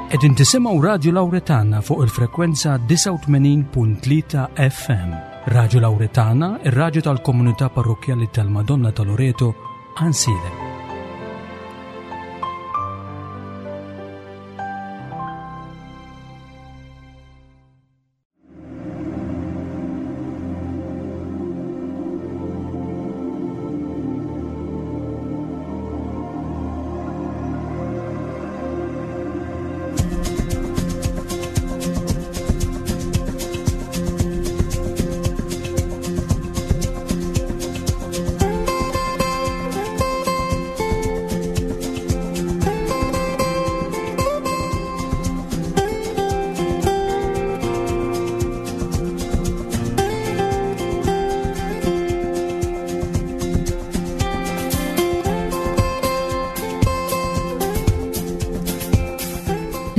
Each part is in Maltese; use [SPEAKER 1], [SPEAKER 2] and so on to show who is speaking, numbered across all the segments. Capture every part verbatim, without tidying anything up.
[SPEAKER 1] Qegħdin tisimgħu Radio Lauretana fuq il-frekwenza disgħa u tmenin punt tlieta F M. Radio Lauretana, ir-radju tal-komunità parrokkjali tal-Madonna ta' Loreto, Għajnsielem.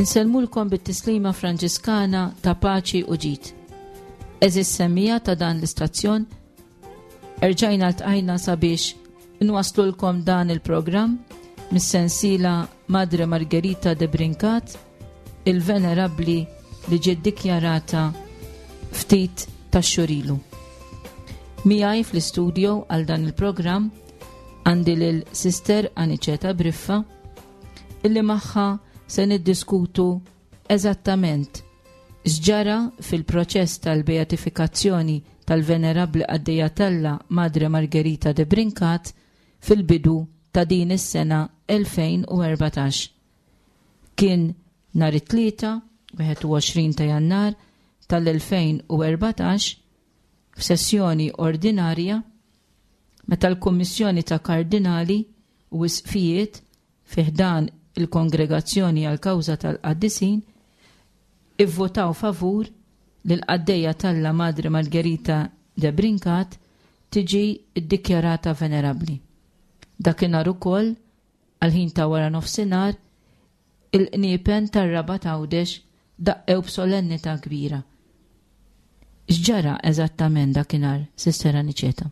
[SPEAKER 2] Insellmulkom bit-tislima Franġiskana ta' paċi u ġid. Eżis semmija ta' dan l-istazzjon, erġajna ltqajna sabiex nwaslulkom dan il-programm mis-sensiela Madre Margherita de Brincat, il-Venerabbli li ġiet dikjarata ftit tax-xurilu. Miegħi fl-istudio għal dan il-programm għandi lil Sister Aniceta Briffa, illi magħha se niddiskutu eżattament x'ġara fil-proċess tal-beatifikazzjoni tal-Venerabbli Qaddejja t'Alla Madre Margherita de Brincat fil-bidu ta' din is-sena elfejn u erbatax. Kien nhar it-Tlieta, wieħed u għoxrin ta' Jannar tal-elfejn u erbatax, f'sessjoni ordinarja meta l-Kummissjoni ta' Kardinali u Isqfijiet fi ħdan il-Kongregazzjoni għal-Kawża tal-Qaddisin ivvotaw favur li l-Qaddejja t'Alla Madre Margherita de Brincat tiġi ddikjarata venerabbli. Dakinhar ukoll, għal-ħin ta' wara nofsinhar, il-qniepen tar-Rabat Għawdex daqqew b'solennità kbira. X'ġara eżattament dakinhar, Sister Aniceta?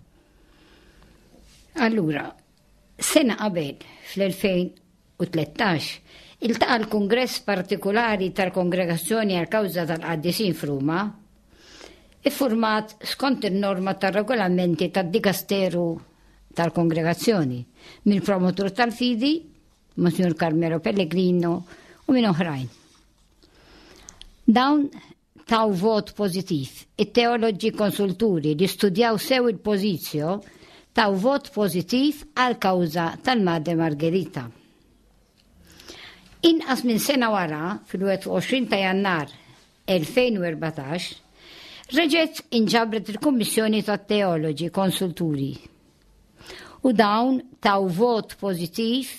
[SPEAKER 3] Allura, sena qabel, fl-elfejn u tlettax, iltaqa' l-Kungress Partikulari tal-Kongregazzjoni għall-Kawża tal-Qaddisin f'Ruma, iffurmat skont in-norma tar-regolamenti tad-Dikasteru tal-Kongregazzjoni minn promotur tal-fidi, Monsignor Carmelo Pellegrino u minn oħrajn. Dawn taw vot pożittiv. It-teoloġi konsulturi li studjaw sew il-pożizzjo taw vot pożittiv għal-kawża tal-Madre Margherita. Inqas minn sena wara, fil-wieħed u għoxrin ta' Jannar elfejn u erbatax, reġgħet inġabret il-Kummissjoni tat-Teoloġi Konsulturi. U dawn taw vot pożittiv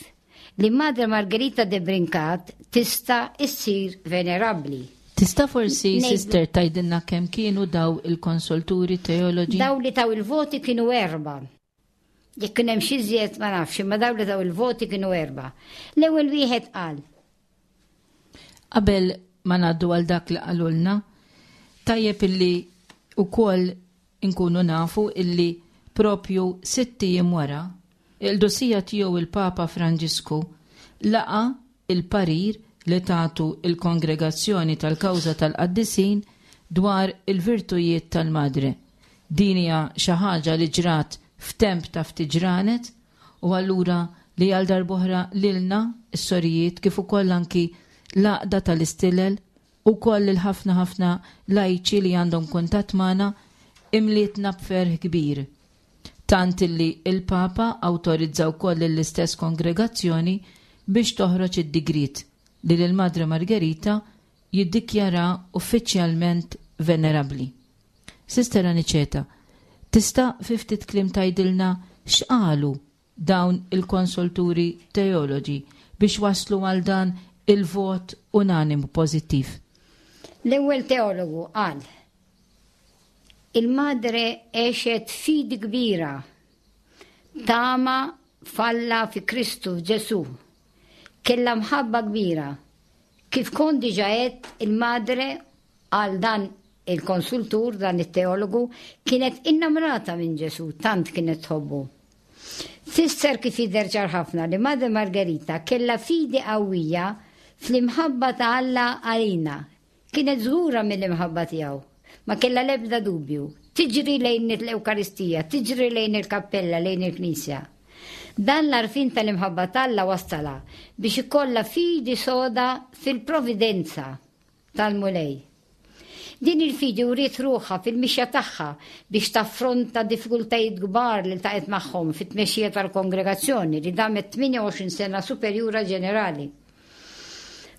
[SPEAKER 3] li Madre Margherita de Brincat tista' issir venerabbli.
[SPEAKER 2] Tista' forsi,
[SPEAKER 3] Ngħidu
[SPEAKER 2] Sister, tgħidilna kemm kienu daw il-konsulturi teoloġi?
[SPEAKER 3] Daw li taw il-voti kienu erba'. Jekk kien hemm xi żjed ma nafx, imma daw li taw il-voti kienu erba'. L-ewwel wieħed qal.
[SPEAKER 2] Qabel ma ngħaddu għal dak li qalulna, tajjeb illi wkoll inkunu nafu illi propju sitt ijiem wara, il-qdusija tiegħu il-Papa Franġisku laqa il-parir li tagħtu il-Kongregazzjoni tal-Kawża tal-Qaddisin dwar il-virtujiet tal-Madre. Din hija xi ħaġa li ġrat f'temp ta' ftit ġranet u allura li għal darb'oħra lilna s-sorijiet kif ukoll anki l-għaqda tal-istilel u koll il-ħafna ħafna lajċi li għandhom kuntatt magħna imlietna b'ferħ kbir. Tant illi il-Papa awtorizza wkoll l-istess kongregazzjoni biex toħroġ id-digriet li lil Madre Margherita jiddikjara uffiċjalment venerabbli. Sister Aniceta, tista' fi ftit kliem tgħidilna x'qalu dawn il-konsulturi teoloġi biex waslu għal dan il-vot unanimu pożittiv?
[SPEAKER 3] L-ewwel teologu qal: Il-Madre għexet fidi kbira, tama falla fi Kristu Ġesu, kellha mħabba kbira. Kif kont diġà għedt, il-Madre għal dan il-konsultur, dan it-teologu, kienet innamrata minn Ġesu, tant kienet tħobbu. Fisser kif jidher ċar ħafna li Madre Margherita kellha fidi qawwija fl-imħabba ta' Alla għalina. Kienet żgura mill-imħabba tiegħu, ma kellha l-ebda dubju. Tiġri lejn l-Ewkaristija, tiġri lejn il-kappella, lejn il-Knisja. Dan l-għarfien tal-imħabba t'Alla wassala biex ikollha fidi soda fil-providenza tal-Mulej. Din il-fidi wriet ruħha fil-mixja tagħha biex taffronta diffikultajiet kbar li ltaqgħet magħhom fit-tmexxija tal-kongregazzjoni li damet tmienja u għoxrin sena superjura ġenerali.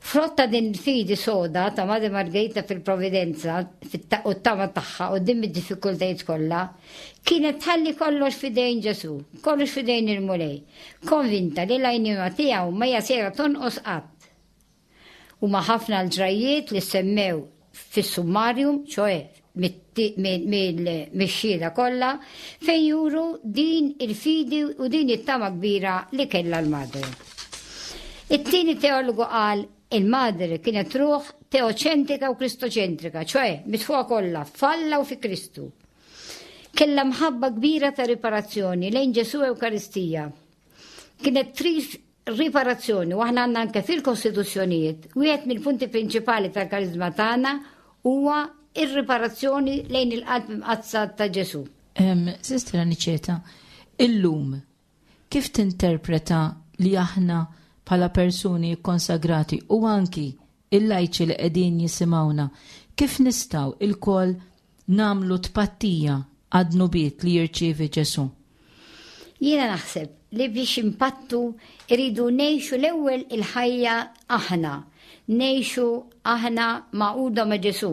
[SPEAKER 3] Frott ta' din il-fidi soda ta' Madre Margherita fil-providenza u t-tama tagħha quddiem id-diffikultajiet kollha, kienet tħalli kollox f'idejn Ġesù, kollox f'idejn il-Mulej, konvinta li l-għajnuna tiegħu ma hija sejra tonqos qatt. Huma ħafna l-ġrajiet li semmew fis-summarium, ċoè mix-xhieda kollha, fejn juru din il-fidi u din it-tama kbira li kellha l-Madre. It-tieni teologu qal il-Madre kienet ruħ teoċentrika u kristoċentrika, ċoè mitfuqa kollha f'Alla u fi Kristu. Kellha mħabba kbira ta' riparazzjoni lejn Ġesù Ewkaristija. Kienet trid riparazzjoni u aħna għandna anke fil-kostituzzjonijiet, wieħed mill-punti prinċipali tal-karizma tagħna huwa ir-riparazzjoni lejn il-qalb imqaddsa ta' Ġesù.
[SPEAKER 2] Sister Aniċeta, illum kif tinterpreta li aħna bħala persuni konsagrati u anki il-lajċi li qegħdin jisimgħuna, kif nistgħu ilkoll nagħmlu tpattija għad-dnubiet li jirċievi Ġesù?
[SPEAKER 3] Jiena naħseb li biex impattu iridu ngħixu l-ewwel il-ħajja aħna, ngħixu aħna magħquda ma' Ġesù.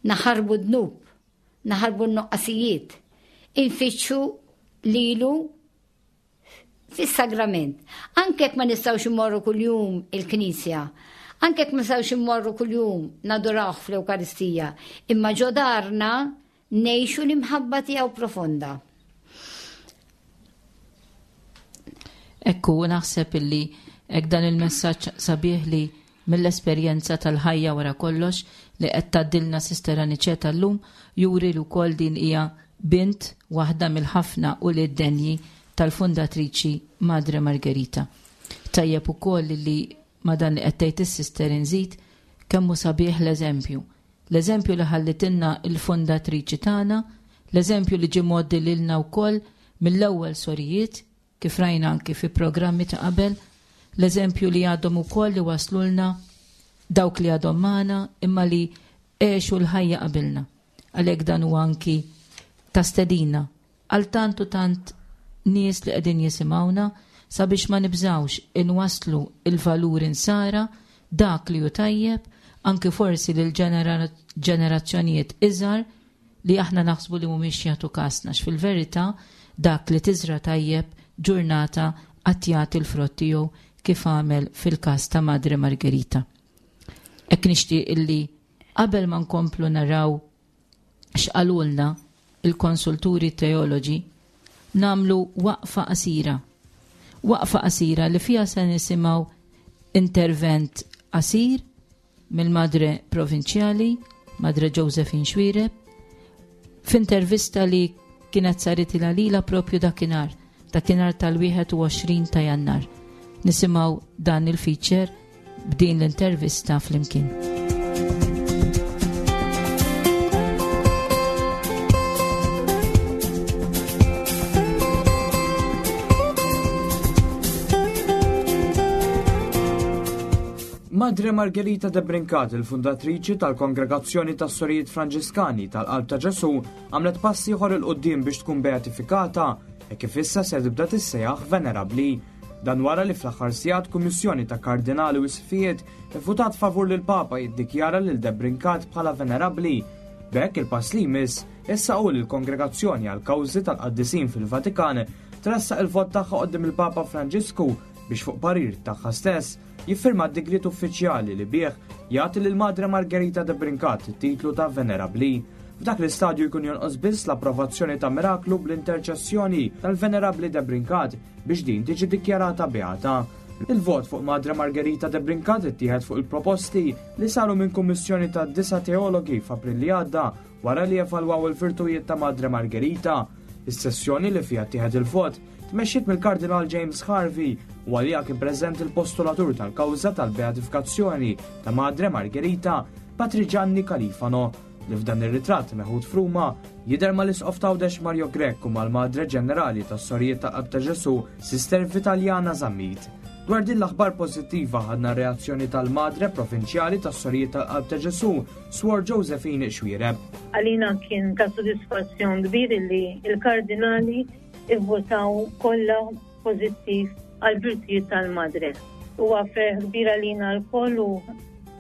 [SPEAKER 3] Naħarbu dnub, naħarbu n-nuqqasijiet, infittxu lilu fis-sagrament. Anke jekk ma nistgħux immorru kuljum il-knisja, anke jekk ma nistgħux immorru kuljum nadurawh fl-Ewkaristija, imma ġo darna ngħixu l-imħabba tiegħu profonda.
[SPEAKER 2] Ekku, naħseb illi hekk dan il-messaġġ sabiħ li mill-esperjenza tal-ħajja wara kollox li qed tgħaddilna Sister Aniċeta llum juri li wkoll din hija bint waħda mill-ħafna u lid-denji tal-fundatriċi Madre Margherita. Tajjeb ukoll li ma dan li qed tgħid is-sister inżid kemm hu sabiħ l-eżempju. L-eżempju li ħallitilna l-fundatriċi tagħna, l-eżempju li ġie mgħoddi lilna wkoll mill-ewwel sorijiet kif rajna anki fi programmi ta' qabel, l-eżempju li għadhom ukoll li waslulna dawk li għadhom magħna imma li għexu l-ħajja qabilna. Għalhekk dan huwa anki ta' stedina għal tant u tant nies li qegħdin jisimgħuna sabiex ma nibżgħux inwasslu il-valur insara dak li hu tajjeb anki forsi lil ġenerazzjonijiet iżgħar li aħna naħsbu li mhumiex jagħtu kasna, fil-verità dak li tiżra tajjeb ġurnata qatt jagħti l-frott tiegħu kif għamel fil-każ ta' Madre Margherita. Hekk nixtieq illi qabel ma nkomplu naraw x'qalulna il-konsulturi teoloġi, namlu waqfa qasira. Waqfa qasira li fiha se nisimgħu intervent qasir mill-Madre Provinċjali, Madre Josephine Xuereb, f'intervista li kienet saret lilha propju dakinhar, dakinhar tal-wieħed u għoxrin ta' Jannar. Nisimgħu dan il-feature b'din l-intervista flimkien.
[SPEAKER 4] Madre Margherita de Brincat, il-fundatriċi tal-Kongregazzjoni tas-Sorijiet Franġiskani tal-Qalb ta' Ġesù, għamlet pass ieħor 'il quddiem biex tkun beatifikata e kif issa se tibda tissejjaħ venerabbli. Dan wara li fl-aħħar sigħat kummissjoni ta' kardinali u isqfijiet ivvutat favur lil Papa jiddikjara lil de Brincat bħala venerabbli. B'hekk il-pass li jmiss issa hu li l-Kongregazzjoni għal kawżi tal-Qaddisin fil-Vatikan tressaq il-vot tagħha quddiem il-Papa Franġisku biex fuq parir tagħha stess jiffirma d-digriet uffiċjali li bih jagħti lil Madre Margherita de Brincat it-titlu ta' Venerabbli. F'dak l-istadju jkun jonqos biss l-approvazzjoni ta' miraklu bl-interċessjoni tal-Venerabbli de Brincat biex din tiġi dikjarata beata. Il-vot fuq Madre Margherita de Brincat ittieħed fuq il-proposti li saru minn kummissjoni ta' disa' teologi f'April li għadda wara li evalwaw il-virtujiet ta' Madre Margherita. Is-sessjoni li fiha ttieħed il-vot tmexxiet mill-Kardinal James Harvey u għaliha kien preżenti il-postulatur tal-kawża tal-beatifikazzjoni ta' Madre Margherita, Patri Gianni Califano, li f'dan ir-ritratt meħud f'Ruma jidher mal-Isqof t'Għawdex Mario Grech u mal-Madre Ġenerali tas-Sorijiet ta' Qalb ta' Ġesu, Sister Vitaliana Zammit. Dwar din l-aħbar pożittiva ħadna reazzjoni tal-Madre Provinċjali tas-Sorijiet tal-Qalb ta' Ġesu, Swor Josephine Xuereb.
[SPEAKER 5] Għalina kien ta' sodisfazzjon kbir li il-kardinali ivvotaw kollha pożittiv għal-virtujiet tal-Madre. Huwa ferħ kbir għalina lkoll u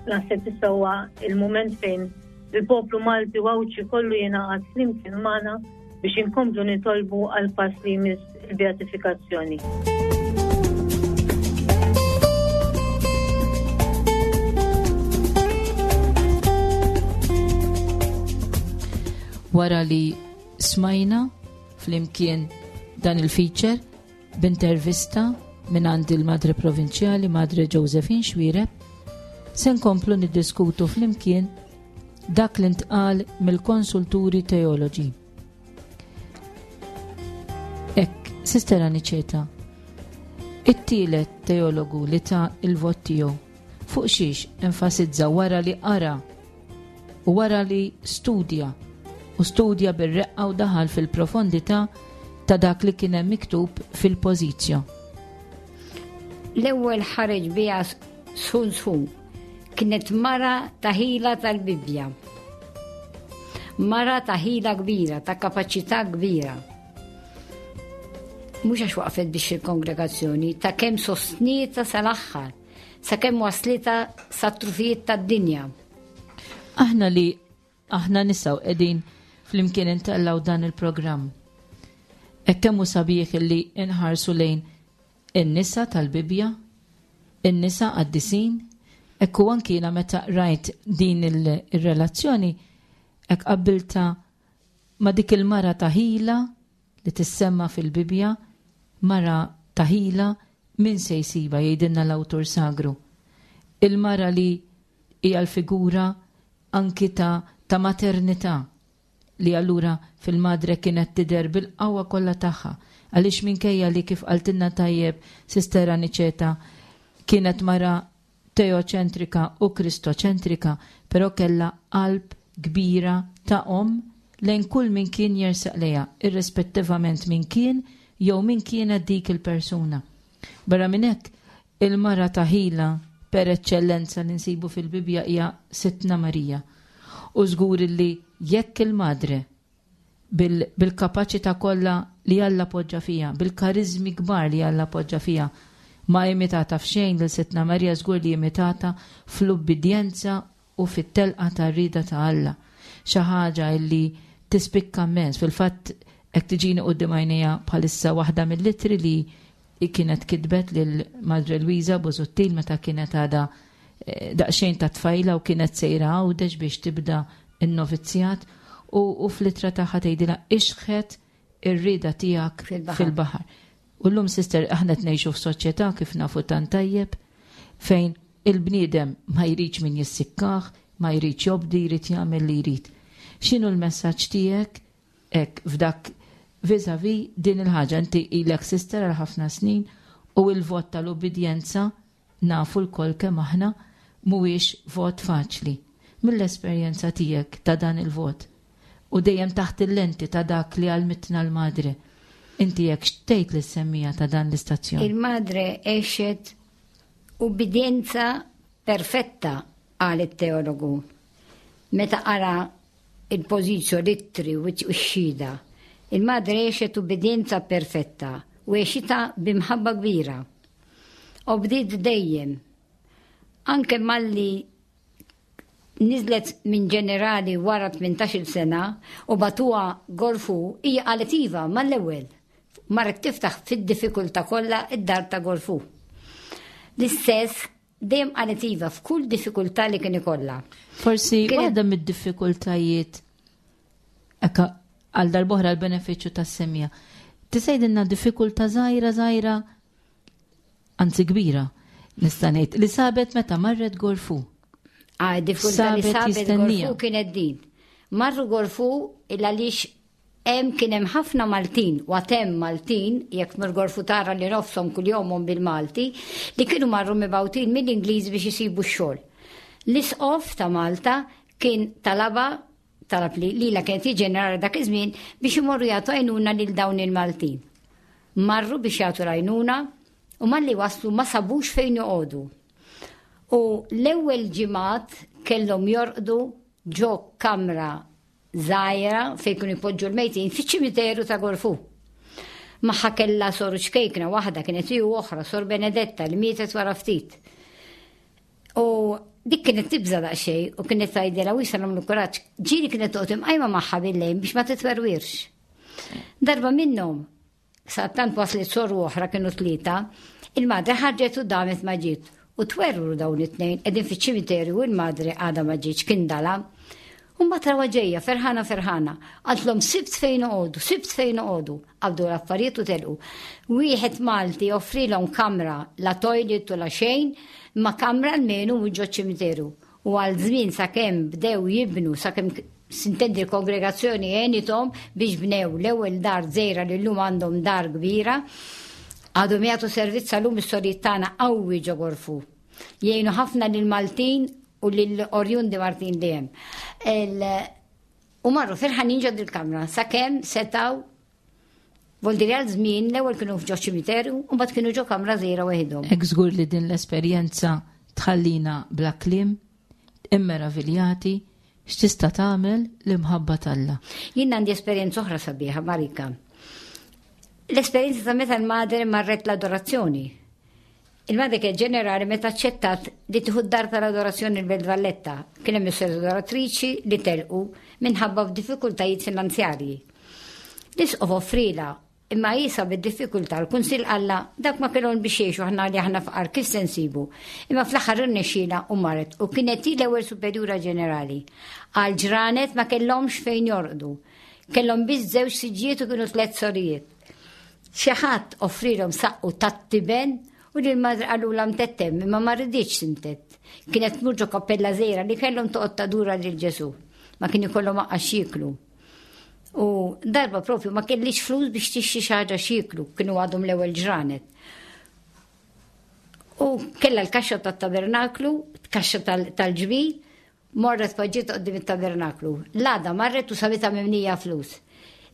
[SPEAKER 5] naħseb issa huwa il-mument fejn il-poplu Malti u Għawdxi kollu jingħaqad flimkien magħna biex inkomplu nitolbu għal pass li jmiss il-beatifikazzjoni.
[SPEAKER 2] Wara li smajna flimkien dan il-feature b'intervista minn għand il-Madre Provinċjali Madre Josephine Xuereb, se nkomplu niddiskutu flimkien dak li ntqal mill-konsulturi teoloġi. Ek, Sister Aniċeta, it-tielet teologu li ta il-vot tiegħu fuq xiex enfasizza wara li qara u wara li studja u studja bir-reqqa u daħal fil-profondità ta' dak li kien hemm miktub fil-pożizzjo.
[SPEAKER 3] L-ewwel ħareġ biha sħun sħun. Kienet mara ta' ħila tal-Bibbja. Mara ta' ħila kbira, ta' kapaċità kbira. Mhux għax waqfet biex il-kongregazzjoni, ta' kemm sostnieta sal-aħħar, sa' kemm waslita sat-trufijiet tad-dinja.
[SPEAKER 2] Aħna li aħna nisa u qegħdin flimkien intellaw dan il-programm. Hekk kemm hu sabiħ li nħarsu lejn in-nisa tal-Bibbja, in-nisa qaddisin, hekk u anki jiena meta rajt din il-relazzjoni, hekk qabbilta ma' dik il-mara ta' ħila li tissemma fil-Bibbja, mara ta' ħila min se jsiba jgħidilna l-awtur sagru. Il-mara li hija l-figura anki ta' ta' maternità li allura fil-madre kienet tidher bil-qawwa kollha tagħha, għaliex minkejja li kif qaltilna tajjeb Sister Aniċeta kienet mara teoċentrika u kristoċentrika, però kellha qalb kbira ta' om lejn kull min kien jersaq lejha, irrispettivament min kien jew min kienet dik il-persuna. Barra minn hekk, il-mara ta' ħila per eċċellenza li nsibu fil-Bibbja hija Sidtna Marija. U żgur li jekk il-madre bil-kapaċità kollha li Alla poġġa fija, bil-karizmi kbar li Alla poġġa fija, ma imitata f'xejn lil Sidtna Marija, żgur li imitata fl-ubbidjenza u fit-telqa tar-rieda ta' Alla. Xi ħaġa li tispikka immens. Fil-fatt hekk tiġini quddiem għajnejja bħalissa waħda mill-ittri li kienet kitbet lil Madre Luisa Busuttil meta kienet għadha daqsxejn ta' tfajla u kienet sejra Għawdex biex tibda n-novizzjat, u, u fl-ittra tagħha tgħidilha ixħet ir-rieda tiegħek
[SPEAKER 3] Fil-baħar.
[SPEAKER 2] fil-baħar. U llum, sister, aħna qed ngħixu f'soċjetà kif nafu tant tajjeb fejn il-bniedem ma jridx min jissikkah, ma jridx jobdi, jrid jagħmel li jrid. X'inhu l-messaġġ tiegħek hekk f'dak vis-a-vis din il-ħaġa? Inti ilek sister għal ħafna snin u l-vot tal-ubbidjenza nafu lkoll kemm aħna mhuwiex vot faċli. Mill-esperjenza tiegħek ta' dan il-vot u dejjem taħt il-lenti ta' dak li għalmitna l-madre, inti jekk xtejt li semmija ta' dan l-istazzjon?
[SPEAKER 3] Il-madre għexet ubbidjenza perfetta, qal it-teologu. Meta qara il-pożizzjo, l-ittri u x-xhieda, il-madre għexet ubbidjenza perfetta u għexitha b'imħabba kbira. Obdiet dejjem. Anke malli nizlet minn ġenerali wara tmintax-il sena u batuha Gorfu, hija qalet iva mal-ewwel. Marret tiftaħ fid-diffikultà kollha id-dar ta' Gorfu. L-istess dejjem qalet iva f'kull diffikultà li kien ikollha.
[SPEAKER 2] Forsi
[SPEAKER 3] Kienet
[SPEAKER 2] waħda mid-diffikultajiet hekk għal darb'oħra l-benefiċċju tas-semija. Tisejdilna diffikultà żgħira żgħira, anzi kbira, nista' ngħid, li sabet meta marret Gorfu.
[SPEAKER 3] Ah, diffikultà li
[SPEAKER 2] Sabet
[SPEAKER 3] sabet
[SPEAKER 2] jistennija.
[SPEAKER 3] Gorfu kienet din. Marru Gorfu il għaliex Hemm kien hemm ħafna Maltin, u għad hemm Maltin, jekk tmur Gorfu tara li nofshom kuljomhom bil-Malti, li kienu marru mibgħutin mill-Ingliż biex isibu x-xogħol. L-isqof ta' Malta kien talaba, talab li lilha kienet hi ġenerali dak iż-żmien biex imorru jagħtu għajnuna lil dawn il-Maltin. Marru biex jagħtu l-għajnuna u malli waslu ma sabux fejn joqogħdu. U l-ewwel ġimgħat kellhom jorqdu ġo kamra żgħira fejn kienu jpoġġu l-mejtin fiċ-ċimiteru ta' Gorfu. Magħha kellha soru ċkejkna waħda kienet hi u oħra, Sor Benedetta li mietet wara ftit. U dik kienet tibża daqsxejn u kienet tgħidilha wisa nagħmlu kuraġġ. Ġieli kienet toqgħod imqajma magħha bil-lejl biex ma titwerwirx. Darba minnhom, sadattant waslet soru oħra kienu tlieta, il-madre ħarġet u damet ma ġiet. U twerwru dawn it-tnejn qegħdin fiċ-ċimiterju u l-madre għadha ma ġietx kien dala. U mbagħad rawha ġejja ferħana ferħana. Qaltlhom sibt fejn noqogħdu, sibt fejn noqogħdu. Qabdu l-affarijiet u telqu. Wieħed Malti offrilhom kamra, la toilet u la xejn, ma kamra almenu mhux ġo ċimiteru. U għal żmien sakemm bdew jibnu, sakemm sintendi l-kongregazzjoni għenithom biex bnew l-ewwel dar żgħira li llum għandhom dar kbira, għadhom jagħtu servizz għalhom is-sorijiet tagħna qawwi ġo Gorfu. Jgħinu ħafna lill-Maltin u lill-Orjundi Martin li hemm. Il-, u marru ferħanin ġo dil-kamra sakemm setaw vuol dire għal żmien l-ewwel kienu f'ġo ċimiterju u mbagħad kienu ġo kamra żgħira waħedhom.
[SPEAKER 2] Hekk żgur li din l-esperjenza tħallina bla kliem, immeraviljati, x'tista' tagħmel l-imħabba t'Alla.
[SPEAKER 3] Jien għandi esperjenza oħra sabiħa, Marika. L-esperjenza ta' meta l-madre marret l-adorazzjoni. Il-madre kien ġenerali meta aċċettat li tieħu d-dar tal-adorazzjoni l-Belt Valletta. Kien hemm is adoratriċi li telqu minħabba f'diffikultajiet finanzjarji. L-isqof offrila imma jisa bid-diffikultà l-kunsill qalla dak ma kellhom biex jgħixu aħna li aħna fqar kif se nsibu. Imma fl-aħħar irnexxiela u marret u kienet hi l-ewwel superjura ġenerali. Għal ġranet ma kellhomx fejn jorqdu. Kellhom biss żewġ siġġijiet u kienu tliet sorijiet. Xi ħadd offrilhom saqqu tat-tiben u lil madre qalulha mtettem imma ma riditx tintet. Kienet tmur ġo kappella żgħira li kellhom toqgħod tadura lil Ġesù. Ma kien ikollhom aqqa x'jieklu. U darba propju ma kellix flus biex tixtri xi ħaġa x'jieklu, kienu għadhom l-ewwel ġranet. U kellha l-kaxxa tat-tabernaklu, kaxxa tal-, tal-ġbir, morret poġġiet quddiem it-tabernaklu. L-għada marret u sabitha mimlija flus.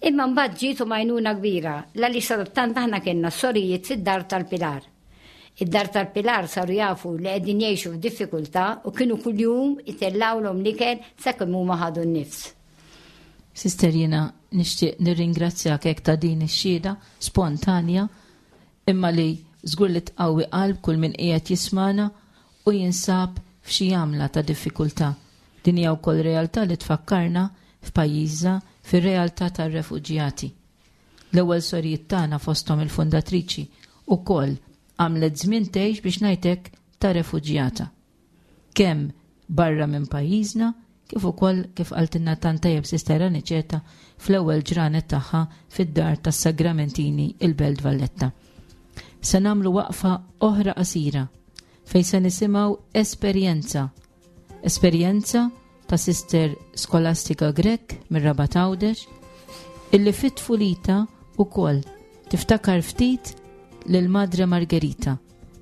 [SPEAKER 3] Imma mbagħad ġiet u majnuna kbira, l-għaliex sadattant aħna kellna sorijiet fid-dar tal-Pilar. Id-dar tal-Pilar saru jafu li qegħdin jgħixu f'diffikultà u kienu kuljum itellgħulhom l-ikel sakemm huma ħadu n-nifs.
[SPEAKER 2] Sister, jiena nixtieq nirringrazzjak hekk ta' din ix-xhieda spontanja imma li żgur li tqawwi qalb kull min qiegħed jismana u jinsab f'xi għamla ta' diffikultà. Din hija wkoll realtà li tfakkarna f'pajjiżna fir-realtà tar-refuġjati. L-ewwel sorijiet tagħna fosthom il-fundatriċi ukoll għamlet żmien tgħix biex ngħidlek ta' refuġjata. Kemm barra minn pajjiżna, kif ukoll kif qaltilna tant tajjeb Sister Aniċeta fl-ewwel ġranet tagħha fid-dar tas-Sagramentini il-Belt Valletta. Se nagħmlu waqfa oħra qasira fejn se nisimgħu esperjenza. Esperjenza ta' Sister Skolastika Grech mir-Rabat Għawdex illi fit-tfulita ukoll tiftakar ftit lil Madre Margherita.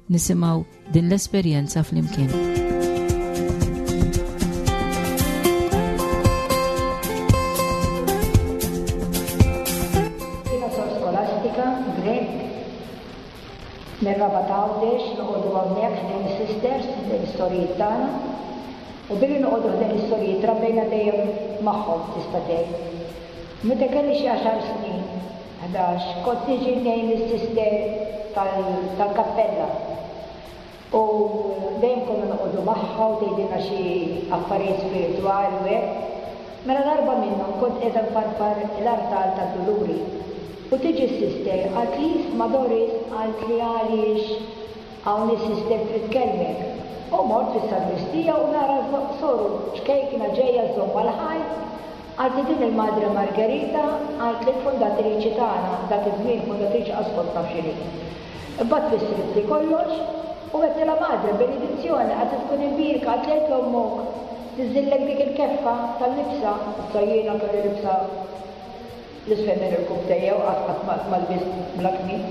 [SPEAKER 2] Nisimgħu din l-esperjenza flimkien.
[SPEAKER 6] Jiena Sor Skolastika Grech mir-Rabat Għawdex, noqogħdu hawnhekk ħdejn is-sisters, ħdejn is-sorijiet tagħna. U billi noqogħdu ħdejn is-sorijiet trabbejna dejjem magħhom tista' tgħid. Meta kelli xi għaxar snin, ħdax, kont niġi ngħin lis-sister tal-, tal-kappella. U dejjem konna noqogħdu magħha u tgħidilna xi affarijiet spiritwali u hekk. Mela darba minnhom kont qiegħda nfarfar l-artal tad-Duluri. U tiġi s-sister, qalt li isma' Doris, qalt li għaliex hawn is-sister trid tkellmek. U mort fis-sagristija u nara soru ċkejkna ġejja żomma l-ħajt. Qalt li din il-Madre Margherita, qalt li l-fundatriċi tagħna, dak iż-żmien fundatriċi qas kont naf x'inhi. Imbagħad fissritli kollox u għedtilha Madre benedizzjoni, qalt li tkun imbierka, qalt li għedt l-ommok tiżillek dik il-keffa tal-libsa. Issa jiena kelli libsa L-isfel minn irkubbtejja u qatt qatt ma lbist bla kmiem.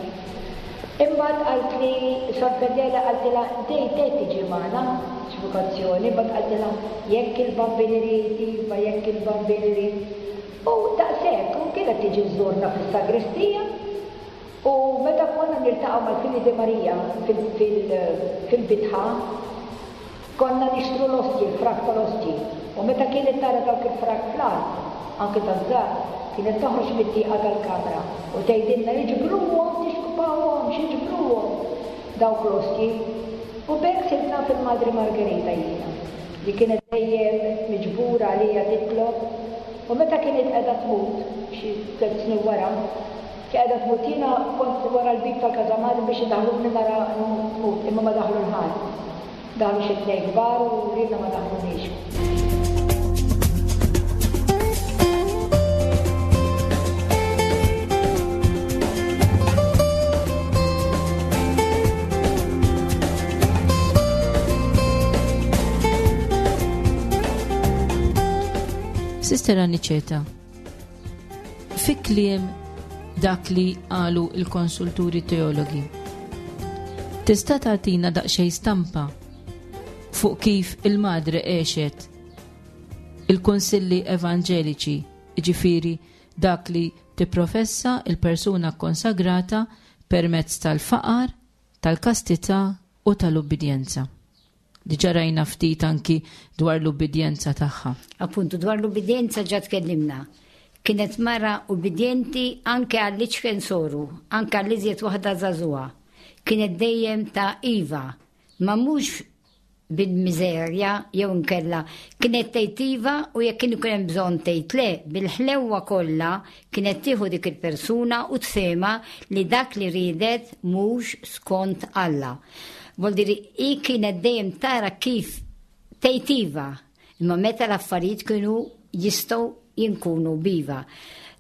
[SPEAKER 6] Imbagħad qaltli Sor Fedela qaltilha dej dej tiġi magħna x'vokazzjoni, imbagħad qaltilha jekk il-Bambin irid, iva jekk il-Bambin irid. U daqshekk, u kienet tiġi żżurna fis-sagristija u meta konna niltaqgħu mal-Fili di Marija fil-bitħa, konna nixtru l-ostji, il-frak tal-ostji. U meta kienet tara dawk il-frak fl-art, anke taż-żgħar, kienet toħroġ mit-tieqa tal-kamra u tgħidilna iġbruhom, tixkupawhomx, iġbruhom dawk l-ostji. U b'hekk sirt naf il-Madre Margherita jiena, li kienet dejjem miġbura għalija titlob. U meta kienet qiegħda tmut, xi tliet snin wara, kien qiegħda tmut jiena kont wara l-bieb tal-Casa Madre biex idaħħluni nara tmut, imma ma daħlu l-ħadd. Daħlu xi tnejn kbar u lilna ma daħluniex.
[SPEAKER 2] Sister Aniceta, fi kliem dak li qalu il-konsulturi teologi, tista' tagħtina daqsxejn stampa fuq kif il-madre għexet il-kunsilli evanġeliċi, jiġifieri dak li tipprofessa il-persuna konsagrata permezz tal-faqar, tal-kastità u tal-ubbidjenza. Diġà rajna ftit anki dwar l-ubbidjenza tagħha.
[SPEAKER 3] Appuntu, dwar l-ubbidjenza ġa tkellimna. Kienet mara ubbidjenti anke għall-iċken soru, anke għall-iżjed waħda żagħżugħa. Kienet dejjem ta' iva, ma mhux bil-miżerja jew inkella. Kienet tgħid iva u jekk kien ikun hemm bżonn tgħid le, bil-ħlewwa kollha kienet tieħu dik il-persuna u tfehma li dak li riedet mhux skont Alla. Vuol dire, hi kienet dejjem tara kif tgħid iva, imma meta l-affarijiet kienu jistgħu jinkunu biva.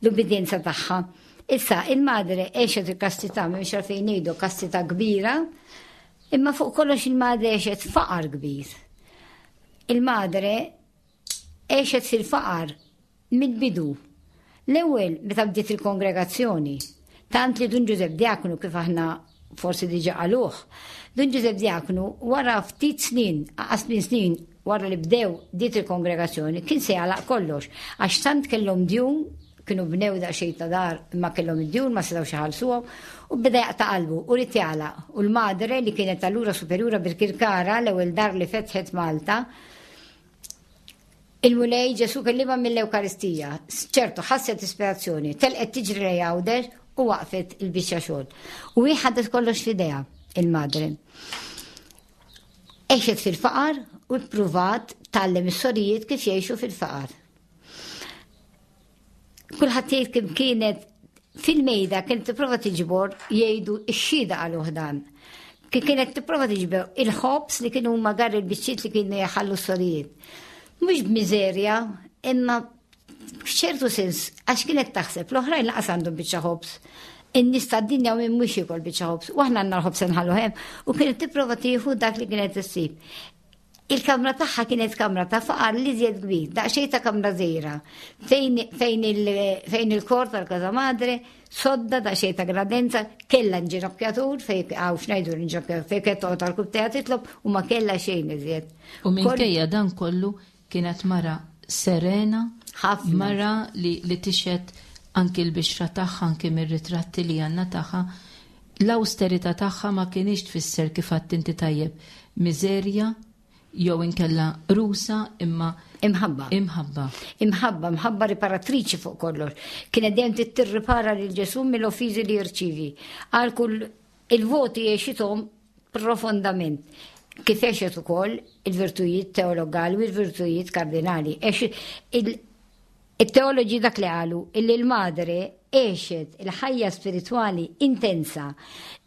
[SPEAKER 3] L-ubbidjenza tagħha. Issa, il-madre għexet il-kastità, m'hemmx għalfejn ngħidu kastità kbira, imma fuq kollox il-madre għexet faqar kbir. Il-madre għexet fil-faqar mill-bidu. L-ewwel meta bdiet il-kongregazzjoni, tant li Dun Ġużepp Diaknu kif aħna forsi diġà qaluh, Dun Ġużepp Diaknu wara ftit snin, aqas minn snin wara li bdew dit il-kongregazzjoni, kien se jagħlaq kollox, għax tant kellhom djun, kienu bnew daqsxejn ta' dar imma kellhom id-djun ma setgħux iħallsuhom, u beda jaqta' qalbu u rid jagħlaq. U l-madre li kienet allura superjura Birkirkara, l-ewwel dar li fetħet Malta, il-Mulej Ġesu kellimha mill-Ewkaristija, ċertu ħasset ispirazzjoni, telqet tiġri lejn Għawdex u waqfet il-biċċa xogħol. U hi ħadet kollox f'idejha, il-madre. Għexet fil-faqar u ppruvat tgħallem is-sorijiet kif jgħixu fil-faqar. Kulħadd jgħid kif kienet fil-mejda kienet tipprova tiġbor, jgħidu x-xhieda qaluh dan. Kif kienet tipprova tiġbor il-ħobż li kienu huma gar il-biċċiet li kienu jaħallu s-sorijiet. Mhux b'miżerja, imma f'ċertu sens, għax kienet taħseb l-oħrajn laqas għandhom biċċa ħobż. In-nies tad-dinja u min mhux jiekol biċċa ħobż, u aħna għandna l-ħobż nħallu hemm, u kienet tipprova tieħu dak li kienet issib. Il-kamra tagħha kienet kamra ta' faqar li żjed kbir, daqsxejn ta' kamra żgħira, fejn, fejn il-, fejn il-kor tal-Casa Madre, sodda daqsxejn ta' gradenza, kellha nġinokjatur, fejn hawn x'ngħidu l-inġinokjatur, fejn kienet toqgħod għall-kub tagħha titlob u ma kellha xejn iżjed.
[SPEAKER 2] U minkejja dan kollu kienet mara serena,
[SPEAKER 3] ħafna.
[SPEAKER 2] Mara li, li tixhed anki l-bixra tagħha, anki mir-ritratti li għandna tagħha. L-awsterità tagħha ma kienx tfisser kif għedt inti tajjeb, miżerja jew inkella rusa, imma
[SPEAKER 3] Imħabba.
[SPEAKER 2] Imħabba.
[SPEAKER 3] Imħabba, imħabba riparatriċi fuq kollox. Kienet dejjem tirripara lil Ġesù mill-offiżi li jirċivi. Għal kull il-voti għexithom profondament. Kif għexet ukoll il-virtujiet teologali u il-virtujiet kardinali. Il-teoloġi dak li qalu illi l-madre għexet il-ħajja spiritwali intensa,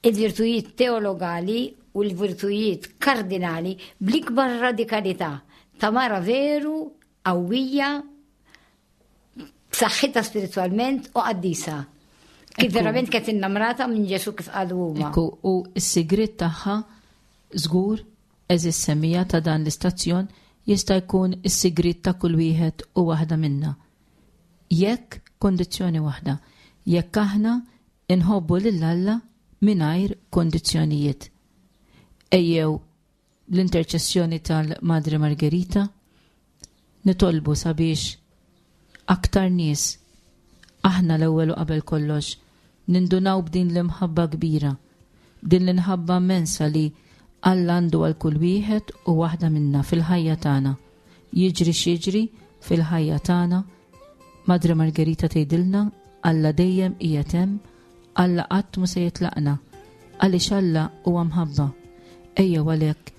[SPEAKER 3] il-virtujiet teologali u l-virtujiet kardinali bl-ikbar radikalità ta' mara veru, qawwija, b'saħħitha spiritwalment u qaddisa. Kif
[SPEAKER 2] Ekku.
[SPEAKER 3] verament kienet innamrata minn Ġesu kif qalu huma.
[SPEAKER 2] Ekku, u s-sigriet tagħha żgur eżis semija ta' dan l-istazzjon jista' jkun is-sigriet ta' kull wieħed u waħda minna. Jekk kondizzjoni waħda, jekk aħna inħobbu lil Alla mingħajr kondizzjonijiet. Ejjew l-interċessjoni tal-Madre Margherita nitolbu sabiex aktar nies aħna l-ewwel u qabel kollox nindunaw b'din l-imħabba kbira, b'din l-imħabba immensa li Alla għandu għal kull wieħed u waħda minna fil-ħajja tagħna. Jiġri x'jiġri fil-ħajja tagħna, Madre Margherita tgħidilna Alla dejjem qiegħed hemm, Alla qatt mhu se jitlaqna, għaliex Alla huwa mħabba. Ejjew għalhekk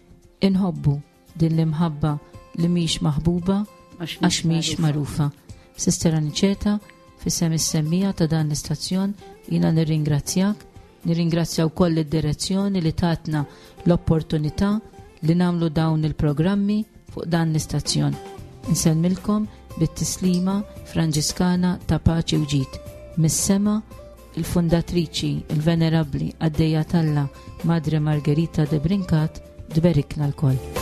[SPEAKER 2] inħobbu din l-imħabba li mhix maħbuba għax mhix magħrufa. Sister Aniċeta, f'isem is-semmiegħa ta' dan l-istazzjon, jiena nirringrazzjak, nirringrazzja wkoll id-direzzjoni li tatna l-opportunità li nagħmlu dawn il-programmi fuq dan l-istazzjon. Insellmilkom bit-tislima Franġiskana ta' paċi u ġid. Mis-sema il-fundatriċi, il-venerabli, qaddejja t'Alla Madre Margherita de Brincat, tberikna lkoll.